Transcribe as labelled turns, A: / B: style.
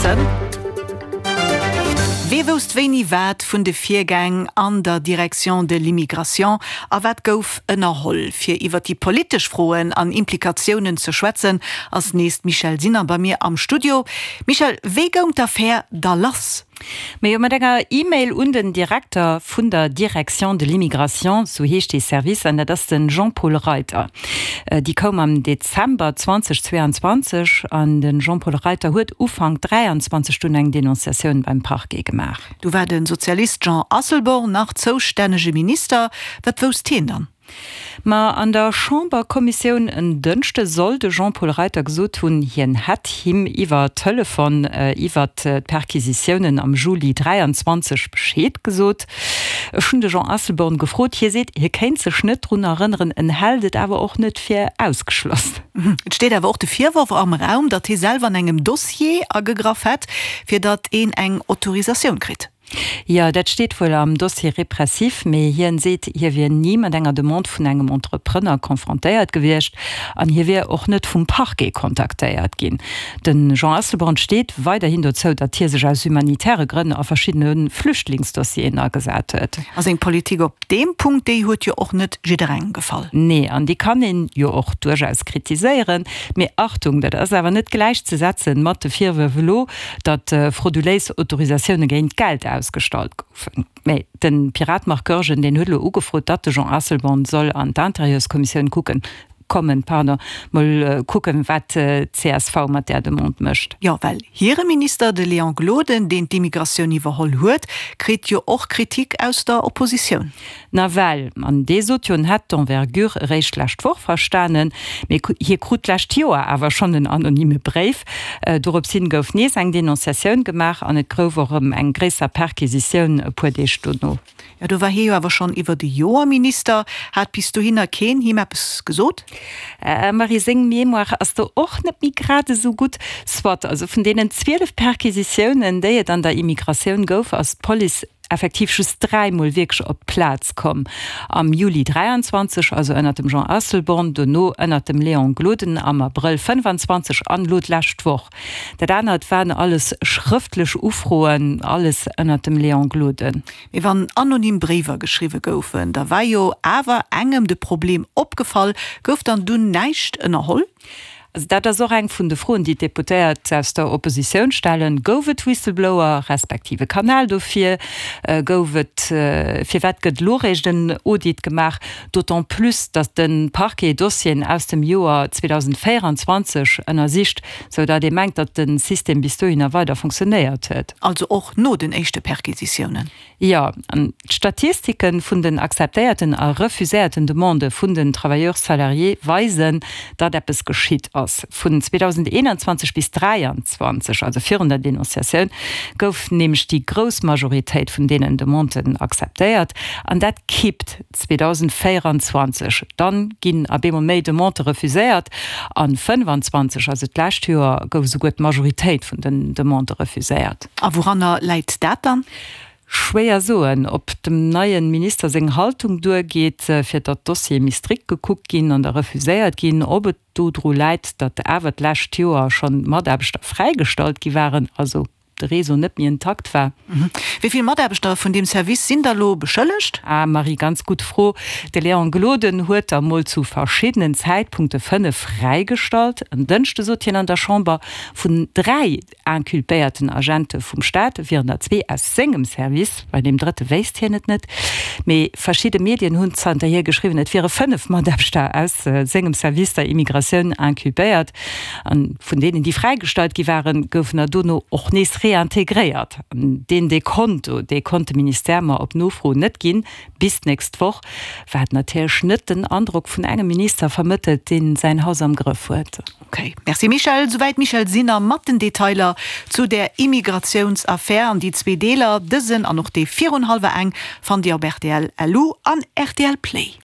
A: schwätzen. Wee wousst wéini wat vun de Virgäng an der Direction de l'immigration a wat gouf ënnerholl? Fir iwwer déi politesch Froen an Implikatiounen ze schwätzen, ass nees d'Michèle Sinner bei mir am Studio. Michèle, wéi goung d'Affär da lass?
B: Majo, mat enger E-Mail un den Direkter vun der Direction de l'immigration, sou heescht dee Service, an dat ass de Jean-Paul Reiter. Déi koum am Dezember 2022 an de Jean-Paul Reiter huet Ufank 23 dunn eng Denonciatioun beim Parquet gemaach.
A: Du war de Sozialist Jean Asselborn nach zoustännege Minister. Wat wousst hien dann?
B: Ma an der Chamberkommissioun en Dënschde soll de Jean-Paul Reiter gesot hunn, hien hätt him iwwer Telefon iwwert d'Perquisitiounen am Juli 23 Bescheed gesot. Ech hunn de Jean Asselborn gefrot, hie seet, hie kéint sech net drun erënneren, en hält et awer och net fir ausgeschloss.
A: Et steet awer och de Virworf am Raum, datt hie selwer an engem Dossier agegraff hätt, fir datt een eng Autorisatioun kritt.
B: Jo, dat steet wuel am Dossier répressif, mee hien seet, hie wier ni mat enger Demande vun engem Entrepreneur confrontéiert gewiescht an hie wier och net vum Parquet kontaktéiert ginn. De Jean Asselborn steet weiderhin dozou, datt hie sech aus humanitäre Grënn a verschiddene Flüchtlingsdossieren agesat huet.
A: A seng Politik op deem Punkt, déi huet jo och net jidderengem gefall.
B: Nee, an déi kann een jo och duerchaus kritiséieren. Mee Achtung, dat ass awer net gläichzesetzen mat de Virwërf elo, datt frauduléis Autorisatioune géint Geld ausgestallt goufen. Mä de Pirat Marc Goergen, deen huet elo ugefrot, datt de Jean Asselborn soll an d'Intérieurskommissioun kucken kommen, pardon, mol kucken, wat d'CSV mat där Demande mécht.
A: Jo, well hire Minister, de Léon Gloden, deen d'Immigratioun iwwerholl huet, kritt jo och Kritik aus der Oppositioun.
B: Nawell, an dee sot jo, en hätt d'Envergure eréischt d'lescht Woch verstanen, mee hie krut d'lescht Joer awer schonn en anonyme Bréif. Dorops hin gouf nees eng Denonciatioun gemaach an et grouf och erëm eng gréisser Perquisitioun e puer Deeg dono.
A: Jo, do war hie jo awer schonn iwwert e Joer Minister. Hat bis dohinner keen him eppes gesot?
B: Marie, seng Mémoire ass do och net méi grad esou gutt. Soit, also vun deenen 12 Perquisitiounen, déi et an der Immigratioun gouf, ass d'Police effektiv just dräimol wierklech op d'Plaz komm, am Juli 23, also ënnert dem Jean Asselborn, dono ënnert dem Léon Gloden am Abrëll 25 an elo d'lescht Woch. Dat anert waren alles schrëftlech Ufroen, alles ënnert dem Léon Gloden.
A: Mee wann anonym Bréiwer geschriwwe goufen, da war jo awer engem de Problem opgefall. Gouf dann dunn näischt ënnerholl?
B: Also dat ass och eng vun de Froen, déi d'Deputéiert aus der Oppositioun stellen. Gouf et Whistleblower, respektiv e Kanal dofir? Gouf et, firwat gëtt elo réischt en Audit gemaach? D'autant plus, datt de Parquet Dossieren aus dem Joer 2024 ënnersicht, sou datt ee mengt, datt de System bis dohinner weider funktionéiert huet.
A: Also och no den éischte Perquisitiounen?
B: Jo, an d'Statistike vun den akzeptéierten a refuséierten Demandë vun den Travailleurs salariés weisen, datt eppes geschitt ass. Vun 2021 bis 2023, also virun der Denonciatioun, gouf nämlech déi grouss Majoritéit vun deenen Demanden akzeptéiert. An dat kippt 2024. Dann ginn a bemol méi Demandë refuséiert. An 25, also d'lescht Joer, gouf esouguer d'Majoritéit vun den Demandë refuséiert.
A: A wouranner läit dat dann?
B: Schwéier soen, ob dem neien Minister seng Haltung duergeet, fir datt d'Dossiere méi strikt gekuckt ginn an da refuséiert ginn, ob et dodru läit, datt awer d'lescht Joer schonn Mataarbechter fräigestallt gi waren, also de Réseau net méi intakt war.
A: Wéi vill Mataarbechter vun deem Service sinn da lo beschëllegt?
B: Ah Marie, ganz gutt Fro. De Léon Gloden huet der mol zu verschiddenen Zäitpunkte 5 fräigestallt. En Dënschde sot hien an der Chamber vun 3 Inculpéierten Agente vum Staat wieren der zwee aus sengem Service, bei deem drëtte wéisst hien et net. Mee verschidde Medien hunn zanterhier geschriwwen, et wiere 5 Mataarbechter aus sengem Service der Immigratioun inculpéiert. An vun deenen, déi fräigestallt gi waren, goufen der dono och nees reintegréiert. An deen Dekonto, dee konnt de Ministère mer op Nofro net ginn, bis d'nächst Woch, wat natierlech net den Androck vun engem Minister vermëttelt, deen säin Haus am Grëff huet.
A: Ok, merci Michèle. Souwäit d'Michèle Sinner mat den Detailer zu där Immigratiounsaffär. An déi zwee Deeler, dësen an och dee virun hallwer eng, fannt Dir op rtl LU an rtl Play.